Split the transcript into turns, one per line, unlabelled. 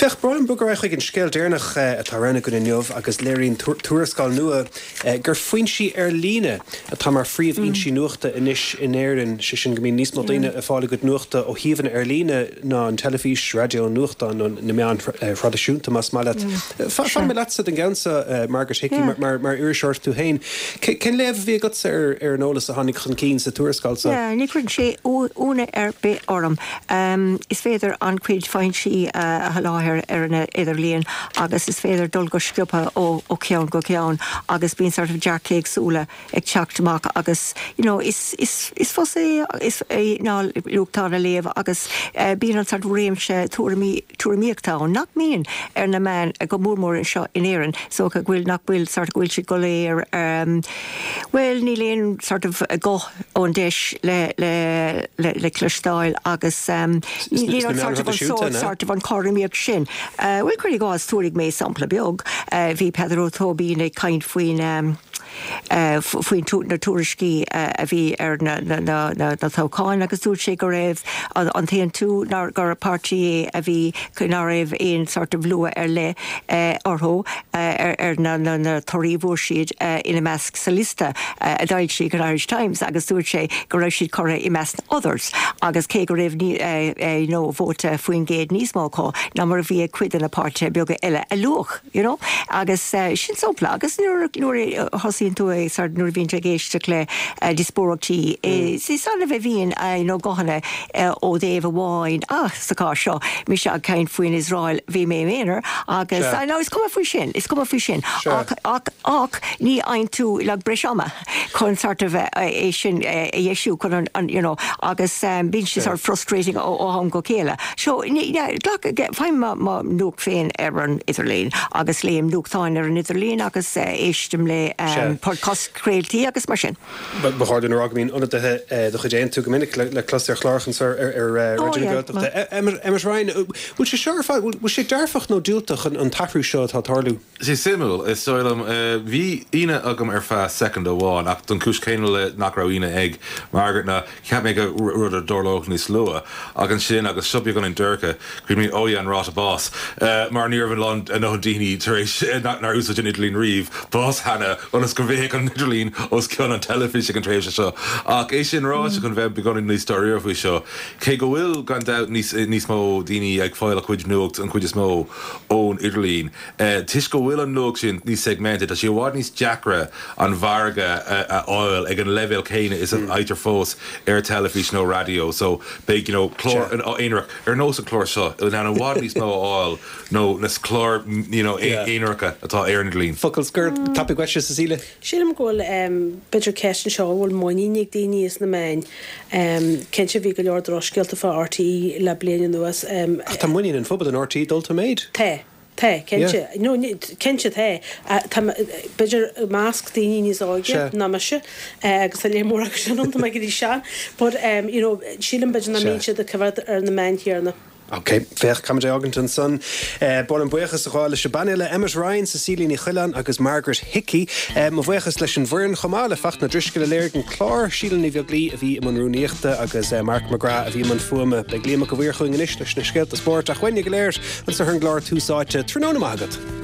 Féach, ba mhaith liom bogadh ar aghaidh chuig an scéal deireanach atá roghnaithe againn inniu agus léiríonn tuarascáil nua gur foinsí ar líne atá mar phríomhfhoinsí nuachta anois in Éirinn, sé sin go mbíonn níos mó daoine ag fáil a gcuid nuachta ó shuíomhanna ar líne ná an teilifís, raidió, nuachtáin nó na meáin thraidisiúnta más maith leat. Fanfaidh mé leatsa don gceann seo, Margaret Hickey, mar iriseoir tú féin. Cén léamh a bhí agatsa ar an eolas a tháinig chun cinn sa tuarascáil seo?
Ní chuireann sé ionadh ar bith orm. Is féidir an-chuid foinsí a sholáthar ar an idirlíon agus is féidir dul go sciobtha ó cheann go ceann agus bíonn sort of dearcthaí éagsúla ag teacht amach agus you know is is is fusa é é ná nuachtán a léamh agus bíonn an sort of réimse tuairimí tuairimíochta ann nach mbíonn ar na meáin go mór mór anseo in Éirinn so go bhfuil nach bhfuil sort of go bhfuil siad go léir bhuel níl aon sort of guth ón deis le le le le cloisteáil agus níl an sort of an sórt sort of an chothromaíocht sin. Bhuel cuir i gcás tabharfaidh mé sampla beag bhí Peadar Ó Tóibín ag caint faoin faoi na tuairiscí a bhí ar na toghcháin agus dúirt sé go raibh an tAontú, gur páirtí é a bhí, ná raibh aon sort of lua ar leith orthu ar na torthaí a fuair siad ina measc sa liosta a d'fhoilsigh an Irish Times agus dúirt sé go raibh siad curtha i measc na others agus cé go raibh you know vóta faoin gcéad níos mó acu ná mar a bhí ag cuid de na páirtithe beaga eile a luadh. You know? Agus sin sampla. Agus nuair nuair a thosaíonn tú ag sort nuair a bhíonn tú ag éisteacht le díospóireachtaí is annamh a bhíonn you know guthanna ó thaobh amháin ah sa chás seo mise ag caint faoin Iosrael bhí mé im aonar agus ah no is cuma faoi sin is cuma faoi sin ach ach ach ní fhaigheann tú like breis ama. chun sort of é sin a dheisiú chun an you know agus bíonn sé sort of frustrating ó am go chéile. So glac faighim mo nuacht féin ar an idirlíon agus léim nuachtáin ar an idirlíon agus éistim le podchraoltaí agus mar sin.
Ba chóir dúinn a rá go mbíonn ionadaithe de chuid Aontú go minic le clos ar chláracha anseo ar Raidió na Gaeltachta. Emmet Ryan, bhfuil sé seo ar fad, bhfuil sé dearfach nó diúltach an t-athrú seo atá ag tarlú?
Sé suimiúil, is dóigh liom. Bhí ionadh agam ar feadh soicind amháin, ach don chúis chéanna le nach raibh ionadh ag Margaret ná cheap mé gur rud a dtarlódh níos luaithe. Ach ansin, agus seo beagáinín dorcha, chuimhnigh mé, oh yeah, an ráta bás. Mar ní raibh a lán, a ndóthain daoine tar éis, nár úsáid an idirlíon riamh, bás cheana, ionas go mbeadh an idirlíon os cionn an teilifís ag an tréimhse seo. Ach é sin ráite, chun bheith beagáinín níos dáiríre faoi seo, cé go bhfuil, gan dabht, níos, níos mó daoine ag fáil a chuid nuacht, an chuid is mó, ón idirlíon, Toisc go bhfuil an nuacht sin níos segmented, tá sé i bhfad níos deacra an mhargadh a fháil ag an leibhéal céanna is a fhaightear fós ar teilifís nó raidió. So beidh you know clár aonarach ar nós an clár seo in ann i bhfad níos mó a fháil nó na cláir you know aonaracha atá ar an idirlíon.
Focal scoir tapaidh uaitse, Cecilia.
Sílim go bhfuil b'fhéidir ceist anseo an bhfuil muinín ag daoine as na meáin. Cinnte bhí go leor drochscéalta fá RTÉ le bliain anuas.
Ach tá muinín an phobail in RTÉ dulta i méid.
Tá. Tá, cinnte. No, cinnte tá. Tá, b'fhéidir i measc daoine níos óige ná mise, agus tá léar mór acu sin ann, tá mé ag éirí sean, but you know, sílim b'fhéidir nach mbíonn siad ag coimhéad ar na meáin chéanna.
Ok, féach, caithfimid é fhágaint ansan. Ba mhaith liom buíochas a ghabháil leis an bpainéal, Emmet Ryan, Cecilia Ní Choileáin agus Margaret Hickey. Mo bhuíochas leis an bhfoireann chomh maith, le Fachtna Ó Drisceoil a léirigh an clár, Síle Ní Bheaglaoi a bhí i mbun rúnaíochta agus Mark McGrath a bhí i mbun fuaime. Beidh Liam Mac a' Mhaoir chugainn anois leis na scéalta spóirt ach uainne go léir anseo ar an gclár Tús Áite. Tráthnóna maith agat.